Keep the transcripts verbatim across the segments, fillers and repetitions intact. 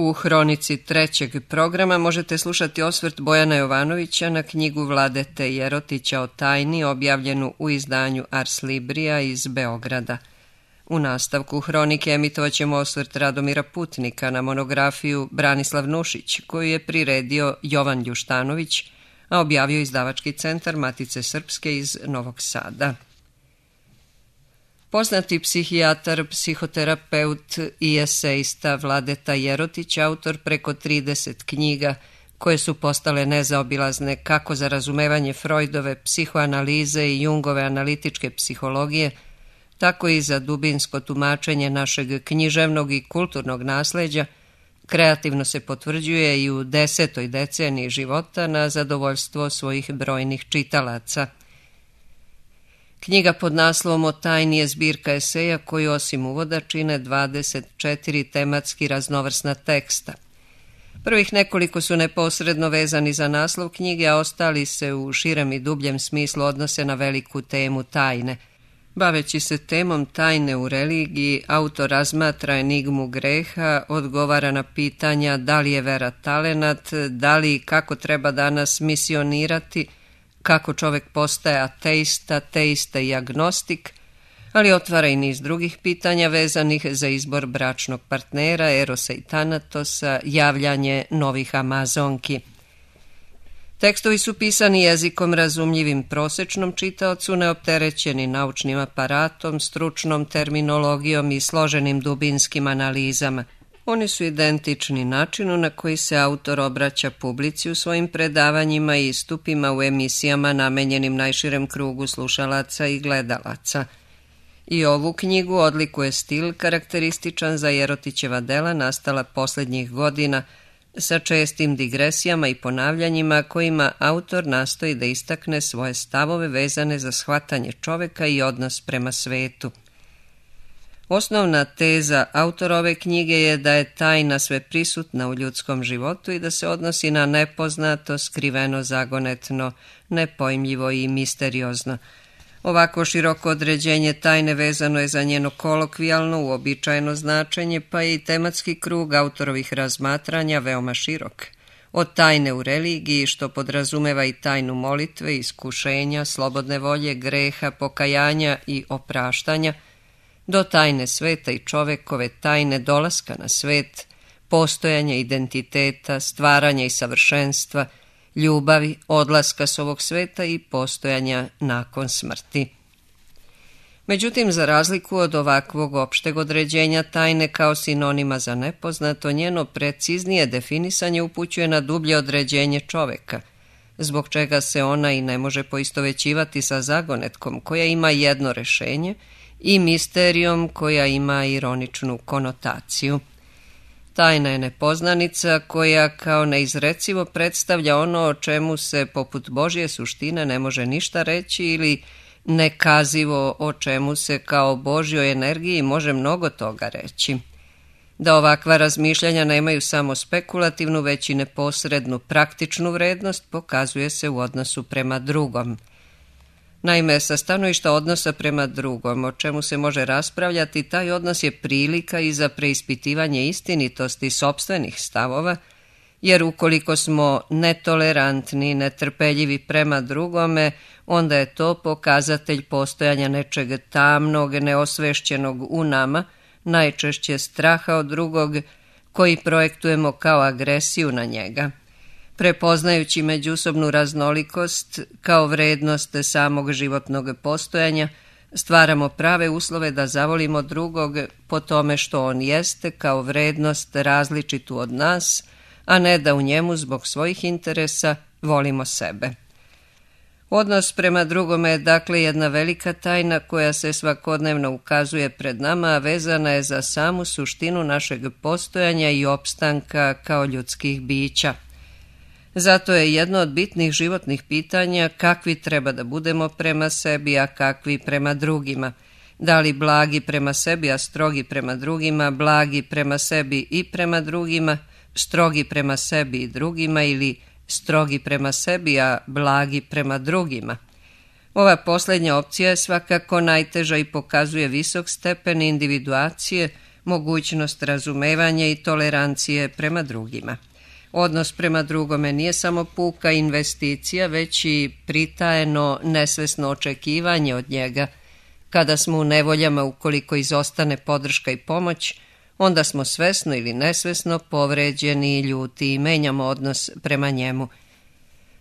U hronici trećeg programa možete slušati osvrt Bojana Jovanovića na knjigu Vladete Jerotića o tajni, objavljenu u izdanju Ars Librija iz Beograda. U nastavku hronike emitovat ćemo osvrt Radomira Putnika na monografiju Branislav Nušić, koju je priredio Jovan Ljuštanović, a objavio Izdavački centar Matice Srpske iz Novog Sada. Poznati psihijatar, psihoterapeut i esejista Vladeta Jerotić, autor preko trideset knjiga koje su postale nezaobilazne kako za razumevanje Freudove psihoanalize i Jungove analitičke psihologije, tako i za dubinsko tumačenje našeg književnog i kulturnog nasleđa, kreativno se potvrđuje i u desetoj deceniji života na zadovoljstvo svojih brojnih čitalaca. Knjiga pod naslovom O tajni je zbirka eseja koju osim uvoda čine dvadeset četiri tematski raznovrsna teksta. Prvih nekoliko su neposredno vezani za naslov knjige, a ostali se u širem i dubljem smislu odnose na veliku temu tajne. Baveći se temom tajne u religiji, autor razmatra enigmu greha, odgovara na pitanja da li je vera talenat, da li i kako treba danas misionirati, kako čovek postaje ateista, teista i agnostik, ali otvara i niz drugih pitanja vezanih za izbor bračnog partnera, erosa i tanatosa, javljanje novih amazonki. Tekstovi su pisani jezikom razumljivim prosečnom čitaocu, neopterećeni naučnim aparatom, stručnom terminologijom i složenim dubinskim analizama. Oni su identični načinu na koji se autor obraća publici u svojim predavanjima i istupima u emisijama namenjenim najširem krugu slušalaca i gledalaca. I ovu knjigu odlikuje stil karakterističan za Jerotićeva dela nastala posljednjih godina, sa čestim digresijama i ponavljanjima kojima autor nastoji da istakne svoje stavove vezane za shvatanje čoveka i odnos prema svetu. Osnovna teza autora ove knjige je da je tajna sve prisutna u ljudskom životu i da se odnosi na nepoznato, skriveno, zagonetno, nepojmljivo i misteriozno. Ovako široko određenje tajne vezano je za njeno kolokvijalno, uobičajeno značenje, pa je i tematski krug autorovih razmatranja veoma širok. Od tajne u religiji, što podrazumeva i tajnu molitve, iskušenja, slobodne volje, greha, pokajanja i opraštanja, do tajne sveta i čovekove tajne dolaska na svet, postojanja identiteta, stvaranja i savršenstva, ljubavi, odlaska s ovog sveta i postojanja nakon smrti. Međutim, za razliku od ovakvog opšteg određenja tajne kao sinonima za nepoznato, njeno preciznije definisanje upućuje na dublje određenje čoveka, zbog čega se ona i ne može poistovećivati sa zagonetkom koja ima jedno rešenje i misterijom koja ima ironičnu konotaciju. Tajna je nepoznanica koja kao neizrecivo predstavlja ono o čemu se poput Božje suštine ne može ništa reći ili nekazivo o čemu se kao Božjoj energiji može mnogo toga reći. Da ovakva razmišljanja nemaju samo spekulativnu, već i neposrednu praktičnu vrednost pokazuje se u odnosu prema drugom. Naime, sa stanovišta odnosa prema drugom, o čemu se može raspravljati, taj odnos je prilika i za preispitivanje istinitosti sopstvenih stavova, jer ukoliko smo netolerantni, netrpeljivi prema drugome, onda je to pokazatelj postojanja nečeg tamnog, neosvešćenog u nama, najčešće straha od drugog, koji projektujemo kao agresiju na njega. Prepoznajući međusobnu raznolikost kao vrednost samog životnog postojanja, stvaramo prave uslove da zavolimo drugog po tome što on jeste kao vrednost različitu od nas, a ne da u njemu zbog svojih interesa volimo sebe. Odnos prema drugome je dakle jedna velika tajna koja se svakodnevno ukazuje pred nama, a vezana je za samu suštinu našeg postojanja i opstanka kao ljudskih bića. Zato je jedno od bitnih životnih pitanja kakvi treba da budemo prema sebi, a kakvi prema drugima. Da li blagi prema sebi, a strogi prema drugima, blagi prema sebi i prema drugima, strogi prema sebi i drugima ili strogi prema sebi, a blagi prema drugima. Ova posljednja opcija je svakako najteža i pokazuje visok stepen individuacije, mogućnost razumevanja i tolerancije prema drugima. Odnos prema drugome nije samo puka investicija, već i pritajeno nesvesno očekivanje od njega. Kada smo u nevoljama, ukoliko izostane podrška i pomoć, onda smo svesno ili nesvesno povređeni i ljuti i menjamo odnos prema njemu.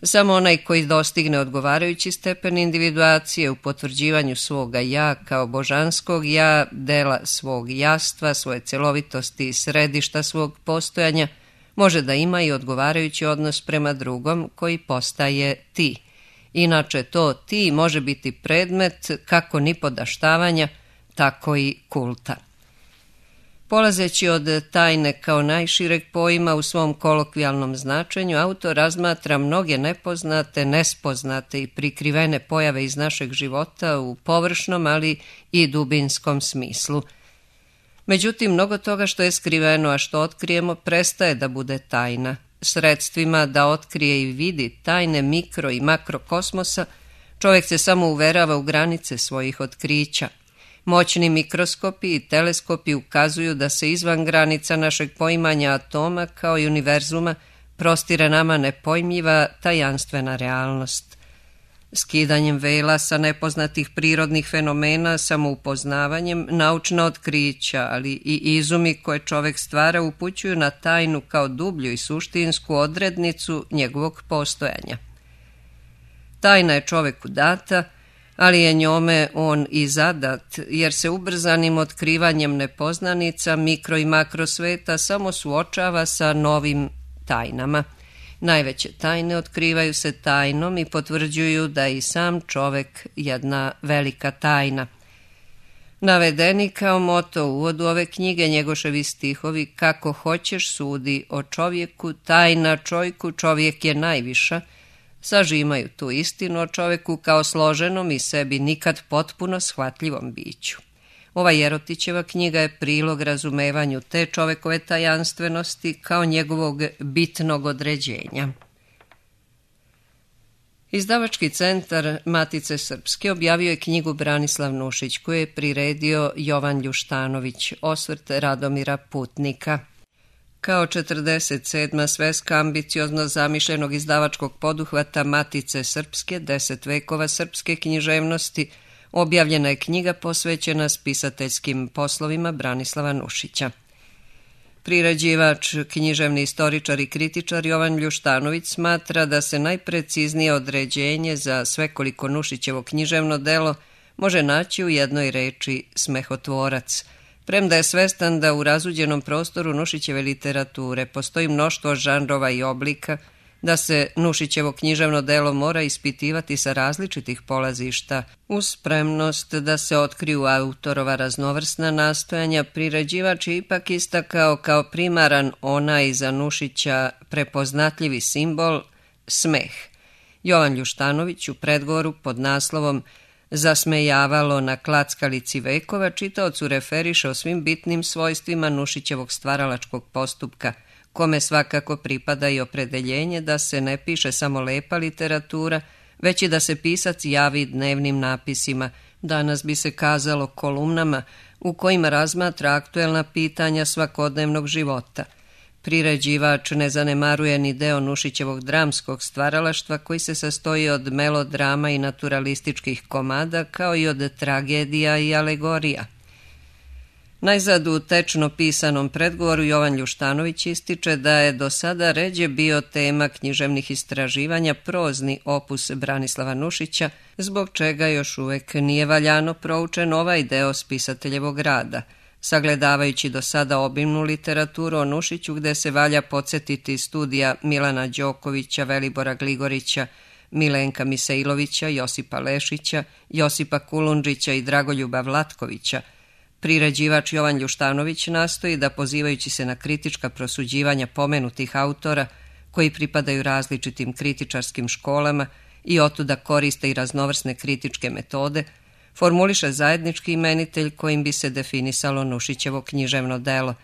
Samo onaj koji dostigne odgovarajući stepen individuacije u potvrđivanju svoga ja kao božanskog ja, dela svog jastva, svoje celovitosti i središta svog postojanja, može da ima i odgovarajući odnos prema drugom koji postaje ti. Inače to ti može biti predmet kako nipodaštavanja, tako i kulta. Polazeći od tajne kao najšireg pojma u svom kolokvijalnom značenju, autor razmatra mnoge nepoznate, nespoznate i prikrivene pojave iz našeg života u površnom, ali i dubinskom smislu. Međutim, mnogo toga što je skriveno, a što otkrijemo, prestaje da bude tajna. Sredstvima da otkrije i vidi tajne mikro i makrokosmosa, čovjek se samo uverava u granice svojih otkrića. Moćni mikroskopi i teleskopi ukazuju da se izvan granica našeg poimanja atoma kao i univerzuma prostire nama nepojmljiva tajanstvena realnost. Skidanjem vela sa nepoznatih prirodnih fenomena, samoupoznavanjem, naučna otkrića, ali i izumi koje čovjek stvara upućuju na tajnu kao dublju i suštinsku odrednicu njegovog postojanja. Tajna je čovjeku data, ali je njome on i zadat, jer se ubrzanim otkrivanjem nepoznanica mikro i makro sveta samo suočava sa novim tajnama. Najveće tajne otkrivaju se tajnom i potvrđuju da je i sam čovek jedna velika tajna. Navedeni kao moto u uvodu ove knjige Njegoševi stihovi "Kako hoćeš sudi o čovjeku, tajna čojku, čovjek je najviša", sažimaju tu istinu o čoveku kao složenom i sebi nikad potpuno shvatljivom biću. Ova Jerotićeva knjiga je prilog razumevanju te čovekove tajanstvenosti kao njegovog bitnog određenja. Izdavački centar Matice Srpske objavio je knjigu Branislav Nušić, koju je priredio Jovan Ljuštanović, osvrt Radomira Putnika. Kao četrdeset sedma sveska ambiciozno zamišljenog izdavačkog poduhvata Matice Srpske, deset vekova srpske književnosti, objavljena je knjiga posvećena spisateljskim poslovima Branislava Nušića. Priređivač, književni istoričar i kritičar Jovan Ljuštanović smatra da se najpreciznije određenje za svekoliko Nušićevo književno delo može naći u jednoj reči smehotvorac, premda je svestan da u razuđenom prostoru Nušićeve literature postoji mnoštvo žanrova i oblika, da se Nušićevo književno delo mora ispitivati sa različitih polazišta, uz spremnost da se otkriju autorova raznovrsna nastojanja, priređivač je ipak istakao kao primaran onaj za Nušića prepoznatljivi simbol smeh. Jovan Ljuštanović u predgovoru pod naslovom "Zasmejavalo na klackalici vekova" čitaocu referiše o svim bitnim svojstvima Nušićevog stvaralačkog postupka, kome svakako pripada i opredeljenje da se ne piše samo lepa literatura, već i da se pisac javi dnevnim napisima, danas bi se kazalo kolumnama, u kojima razmatra aktuelna pitanja svakodnevnog života. Priređivač ne zanemaruje ni deo Nušićevog dramskog stvaralaštva koji se sastoji od melodrama i naturalističkih komada, kao i od tragedija i alegorija. Najzad u tečno pisanom predgovoru Jovan Ljuštanović ističe da je do sada ređe bio tema književnih istraživanja prozni opus Branislava Nušića, zbog čega još uvek nije valjano proučen ovaj deo spisateljevog rada. Sagledavajući do sada obimnu literaturu o Nušiću, gde se valja podsjetiti studija Milana Đokovića, Velibora Gligorića, Milenka Misailovića, Josipa Lešića, Josipa Kulundžića i Dragoljuba Vlatkovića, priređivač Jovan Ljuštanović nastoji da, pozivajući se na kritička prosuđivanja pomenutih autora, koji pripadaju različitim kritičarskim školama i otuda koriste i raznovrsne kritičke metode, formuliše zajednički imenitelj kojim bi se definisalo Nušićevo književno delo.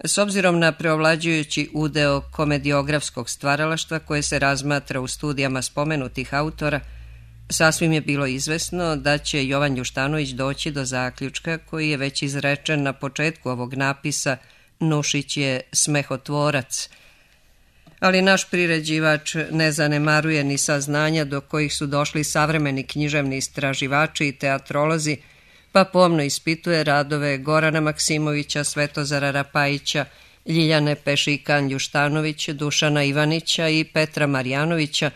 S obzirom na preovlađujući udeo komediografskog stvaralaštva koje se razmatra u studijama spomenutih autora, Sasvim je bilo izvesno da će Jovan Ljuštanović doći do zaključka koji je već izrečen na početku ovog napisa: Nušić je smehotvorac. Ali naš priređivač ne zanemaruje ni saznanja do kojih su došli savremeni književni istraživači i teatrolozi, pa pomno ispituje radove Gorana Maksimovića, Svetozara Rapajića, Ljiljane Pešikan Ljuštanović, Dušana Ivanića i Petra Marjanovića,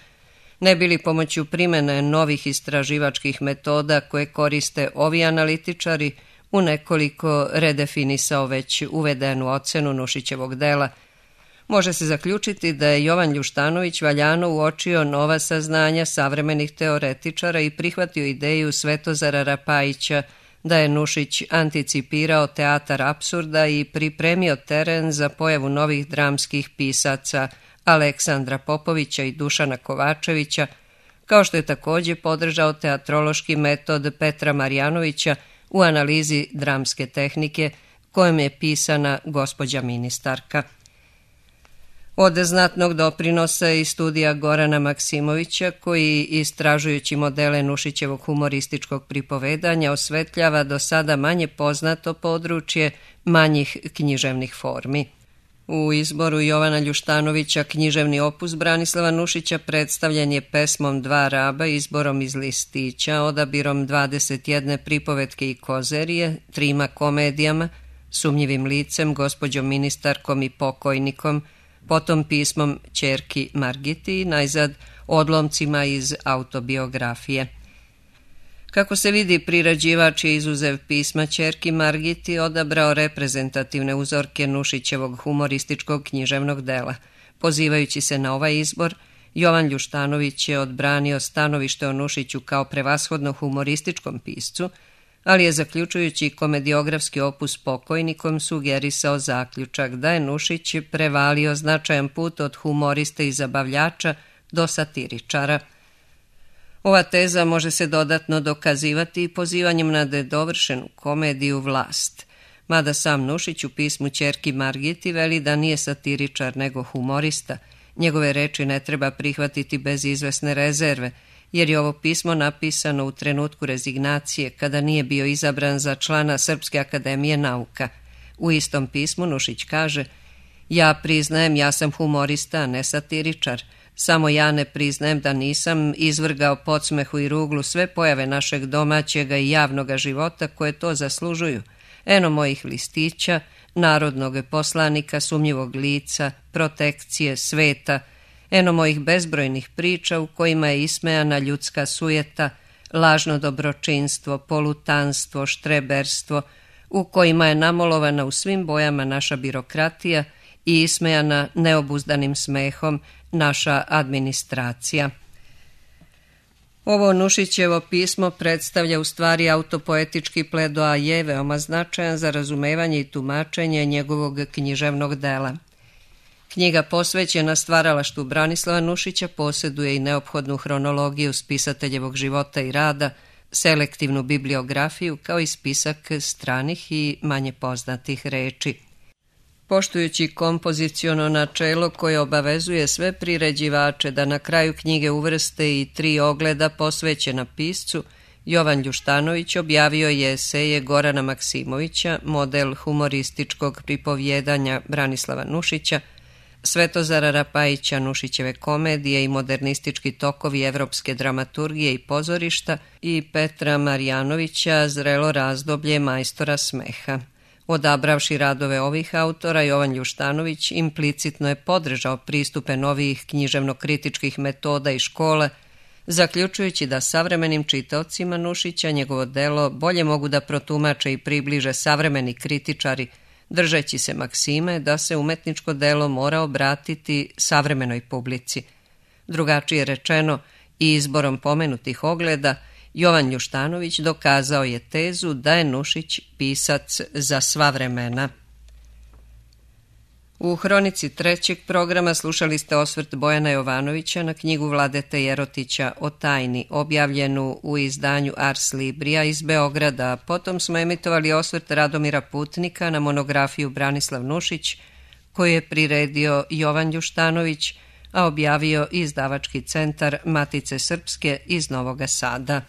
ne bili pomoću primene novih istraživačkih metoda koje koriste ovi analitičari u nekoliko redefinisao već uvedenu ocenu Nušićevog dela. Može se zaključiti da je Jovan Ljuštanović valjano uočio nova saznanja savremenih teoretičara i prihvatio ideju Svetozara Rapajića da je Nušić anticipirao teatar apsurda i pripremio teren za pojavu novih dramskih pisaca Aleksandra Popovića i Dušana Kovačevića, kao što je također podržao teatrološki metod Petra Marjanovića u analizi dramske tehnike kojom je pisana Gospođa ministarka. Od znatnog doprinosa i studija Gorana Maksimovića, koji istražujući modele Nušićevog humorističkog pripovedanja osvetljava do sada manje poznato područje manjih književnih formi. U izboru Jovana Ljuštanovića književni opus Branislava Nušića predstavljen je pesmom Dva raba, izborom iz listića, odabirom dvadeset jedne pripovetke i kozerije, trima komedijama, Sumnjivim licem, Gospođom ministarkom i Pokojnikom, potom pismom Ćerki Margiti i najzad odlomcima iz autobiografije. Kako se vidi, priređivač je izuzev pisma Ćerki Margiti odabrao reprezentativne uzorke Nušićevog humorističkog književnog dela. Pozivajući se na ovaj izbor, Jovan Ljuštanović je odbranio stanovište o Nušiću kao prevashodno humorističkom piscu, ali je zaključujući komediografski opus Pokojnikom sugerisao zaključak da je Nušić prevalio značajan put od humoriste i zabavljača do satiričara. Ova teza može se dodatno dokazivati i pozivanjem na nedovršenu komediju Vlast, mada sam Nušić u pismu Ćerki Margiti veli da nije satiričar nego humorista. Njegove reči ne treba prihvatiti bez izvesne rezerve, jer je ovo pismo napisano u trenutku rezignacije, kada nije bio izabran za člana Srpske akademije nauka. U istom pismu Nušić kaže: Ja priznajem, ja sam humorista, a ne satiričar. Samo ja ne priznajem da nisam izvrgao podsmehu i ruglu sve pojave našeg domaćega i javnoga života koje to zaslužuju. Eno mojih listića, narodnog poslanika, sumnjivog lica, protekcije, sveta, eno mojih bezbrojnih priča u kojima je ismejana ljudska sujeta, lažno dobročinstvo, polutanstvo, štreberstvo, u kojima je namolovana u svim bojama naša birokratija i ismejana neobuzdanim smehom naša administracija. Ovo Nušićevo pismo predstavlja u stvari autopoetički pledoaje veoma značajan za razumevanje i tumačenje njegovog književnog dela. Knjiga posvećena stvaralaštvu Branislava Nušića posjeduje i neophodnu hronologiju spisateljevog života i rada, selektivnu bibliografiju kao i spisak stranih i manje poznatih reči. Poštujući kompoziciono načelo koje obavezuje sve priređivače da na kraju knjige uvrste i tri ogleda posvećena piscu, Jovan Ljuštanović objavio je eseje Gorana Maksimovića, model humorističkog pripovjedanja Branislava Nušića, Svetozara Rapajića, Nušićeve komedije i modernistički tokovi evropske dramaturgije i pozorišta i Petra Marjanovića, Zrelo razdoblje majstora smeha. Odabravši radove ovih autora, Jovan Ljuštanović implicitno je podržao pristupe novih književno-kritičkih metoda i škole, zaključujući da savremenim čitaocima Nušića njegovo delo bolje mogu da protumače i približe savremeni kritičari, držeći se maksime da se umetničko delo mora obratiti savremenoj publici. Drugačije rečeno, i izborom pomenutih ogleda, Jovan Ljuštanović dokazao je tezu da je Nušić pisac za sva vremena. U hronici trećeg programa slušali ste osvrt Bojana Jovanovića na knjigu Vladete Jerotića o tajni, objavljenu u izdanju Ars Librija iz Beograda. Potom smo emitovali osvrt Radomira Putnika na monografiju Branislav Nušić, koju je priredio Jovan Ljuštanović, a objavio izdavački centar Matice Srpske iz Novoga Sada.